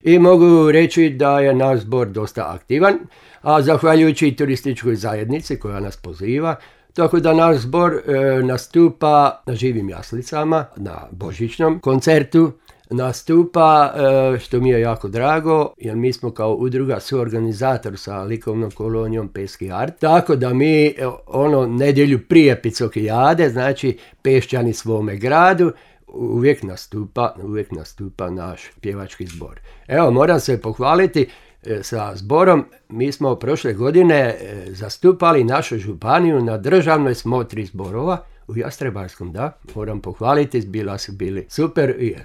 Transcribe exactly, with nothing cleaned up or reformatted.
I mogu reći da je naš zbor dosta aktivan, a zahvaljujući turističkoj zajednici koja nas poziva, tako da naš zbor e, nastupa na živim jaslicama, na božićnom koncertu, nastupa, e, što mi je jako drago, jer mi smo kao udruga suorganizator sa likovnom kolonijom Peski art, tako da mi e, ono nedjelju prije Picokijade, znači Pešćani svome gradu, uvijek nastupa, uvijek nastupa naš pjevački zbor. Evo, moram se pohvaliti e, sa zborom. Mi smo prošle godine e, zastupali našu županiju na državnoj smotri zborova u Jastrebarskom, da, moram pohvaliti, bila su bili super i